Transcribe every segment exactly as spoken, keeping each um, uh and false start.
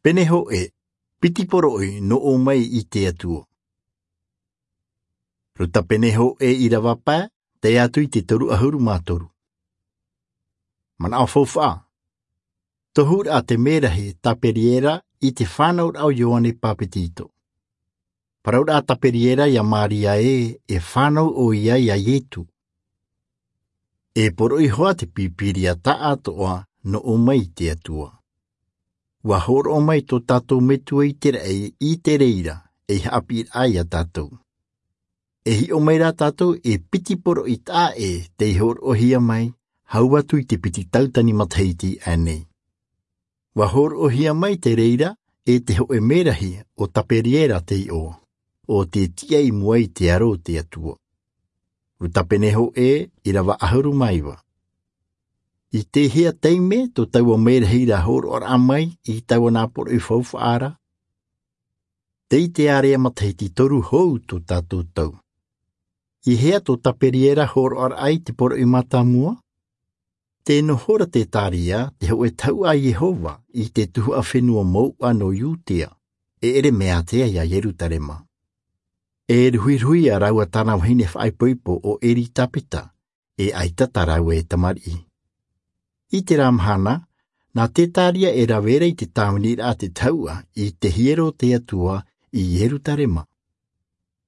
Pene hōʻē, piti poroʻi nō ʻō mai i te Atua. Ruta pene hōʻē ʻīrava pae, tae atu i te toru ʻahuru mā toru. Manaʻo faufaʻa. Tohuraʻa te mērahi Taperiera i te fānauraʻa o Ioane Papetito. Parauraʻa Taperiera ia Maria ē, e fānau ʻoia ia Ietu. E poroʻi hoʻi te Pīpīria tāʻatoʻa nō ʻō mai i te Atua. ʻUa hōroʻa mai tō tātou Metua i te raʻi i te reira, ei haʻapiʻiraʻa ia tātou. E hiʻo mai rā tātou e piti poroʻi taʻa ʻē tei hōroʻahia mai, hau atu i te piti tautini matahiti aʻenei. ʻUa hōroʻahia mai te reira e te hōʻē mērahi ʻo Taperiera te iʻoa, ʻo tē tiʻa i mua i te aro o te Atua. Ruta pene hōʻē, ʻīrava ʻahuru mā iva. I te hea taime tō taua mērahi ra hōroʻaraʻa mai i taua nā poroʻi faufaʻa ra? Tei te ārea matahiti toru hou tō tātou tau. I hea tō Taperiera hōroʻaraʻa i te poroʻi mātāmua? Tē noho ra Zekaria, te hōʻē tahuʻa a Iehova, i te tuhaʻa fenua mouʻa nō Iudea, e ʻere mea ʻātea ia Ierutarema. E ruhiruhia rāua tāna vahine faʻaipoipo ʻo Elisabeta, e ʻaita tā rāua e tamariʻi. I terā mahana, nā Zekaria e rave ra i te tāviniraʻa a te tahuʻa i te hiero o te Atua i Ierutarema.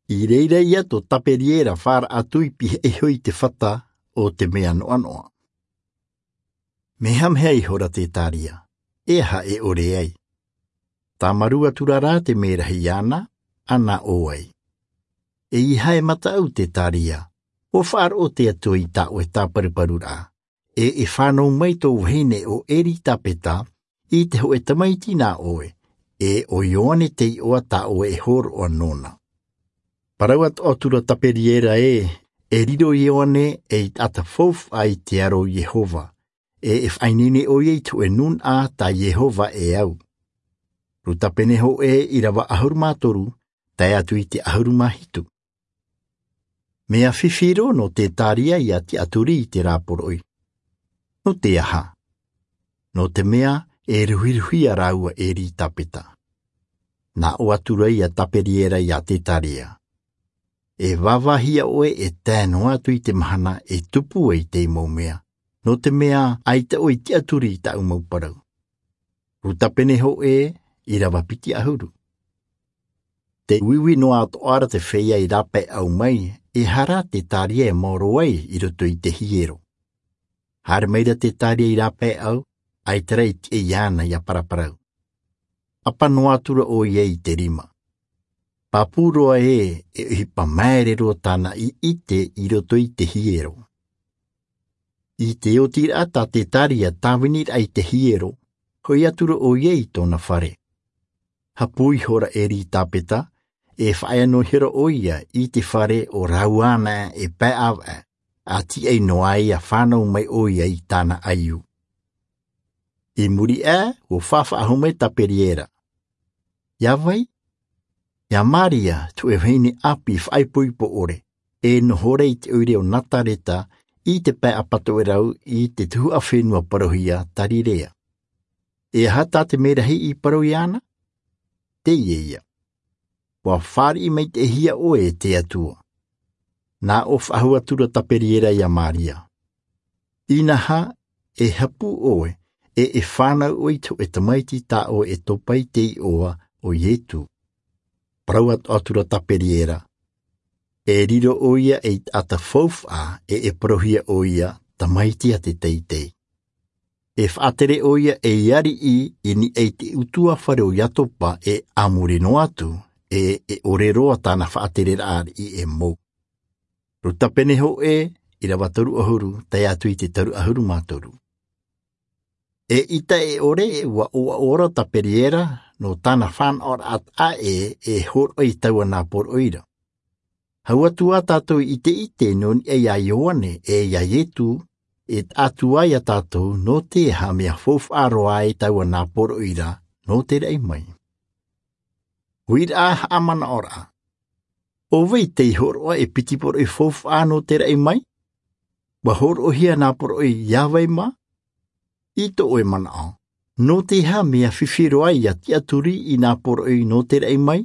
I reira ia tō Taperiera fāraʻa atu i pihaʻi iho i te fata o te mea noʻanoʻa. Mehameha ihora Zekaria, e aha e ʻore ai? Tāmarū atura rā te mērahi iāna, ʻana ʻō ai. ʻEiaha e mataʻu Zekaria, ʻua faʻaroʻo te Atua i tā ʻoe tāparuparuraʻa, e e fānau mai tō vahine ʻo Elisabeta i te hōʻē tamaiti nā ʻoe, e ʻo Ioane te iʻoa tā ʻoe e hōroʻa nōna. Parau atoʻa atura Taperiera ē, e riro Ioane ei taʻata faufaʻa i te aro o Iehova, e e faʻaineine ʻoia i te hōʻē nūnaʻa tā Iehova e au. Ruta pene hōʻē, ʻīrava ʻahuru mā toru, tae atu i te ʻahuru mā hitu. Mea fifi roa nō Zekaria ia tiʻaturi i terā poroʻi. Nō te aha? Nō te mea e ruhiruhia rāua e Elisabeta. Nā ʻō atura ia Taperiera ia Zekaria. E vāvāhia ʻoe e tae noa atu i te mahana e tupu ai teie mau mea, nō te mea ʻaita ʻoe i tiʻaturi i tāʻu mau parau. Ruta pene hōʻē, ʻīrava piti ʻahuru. Tē uiui noa atoʻa ra te feiā i rāpaeʻau mai, e aha rā Zekaria e maoro ai i roto i te hiero. Haere mai ra Zekaria i rāpaeʻau, ʻaita rā e tiʻa iāna ia paraparau. ʻApa noa atura ʻoia i te rima. Pāpū roa ē, e ʻohipa māere roa tāna i ʻite i roto i te hiero. I te otiraʻa tā Zekaria tāviniraʻa i te hiero, hoʻi atura ʻoia i tōna fare. Hapū ihora Elisabeta, e faʻaea noa ihora ʻoia i te fare o rāua anaʻe e pae ʻāvaʻe, ʻa tiʻa noa ai ʻa fānau mai ʻoia i tāna ʻaiū. I muri aʻe, ʻua faʻafaʻahou mai Taperiera. Ia vai? Ia Maria, te hōʻē vahine ʻāpī faʻaipoipo ʻore, e noho ra i te ʻoire o Nazareta, i te pae ʻapatoʻerau i te tuhaʻa fenua parauhia Galilea. E aha tā te mērahi i parau iāna? Teie ïa. ʻUa fāriʻi maitaʻihia ʻoe e te Atua. Nā ʻō faʻahou atura Taperiera ia Maria. Inaha, e hapū ʻoe, e e fānau ʻoe i te hōʻē tamaiti tā ʻoe e topa i te iʻoa ʻo Iesu. Parau atoʻa atura Taperiera. E riro ʻoia ei taʻata faufaʻa, e e parauhia ʻoia tamaiti a te teitei. E faʻatere ʻoia ei ariʻi i niʻa i te ʻutuāfare o Iakoba e a muri noa atu, e e ʻore roa tāna faʻatereraʻa ariʻi e mou. Ruta pene hōʻē, ʻīrava toru ʻahuru, tae atu i te toru ʻahuru mā toru. Eʻita e ʻore, ʻua ʻoaʻoa ra Taperiera nō tāna fānaʻoraʻa taʻa ʻē e hōroʻa i taua nā poroʻi ra. Hau atu ā tātou i te ʻite nō niʻa iā Ioane e iā Iesu, e taʻatu ā iā tātou nō te aha mea faufaʻa roa ai taua nā poroʻi ra nō te raʻi mai. Uiraʻa haʻamanaʻoraʻa. ʻO vai tei hōroʻa e piti poroʻi faufaʻa nō te raʻi mai? ʻUa hōroʻahia nā poroʻi iā vai mā? I tō ʻoe manaʻo, Nō te aha mea fifi roa ia tiʻaturi i nā poroʻi nō te raʻi mai?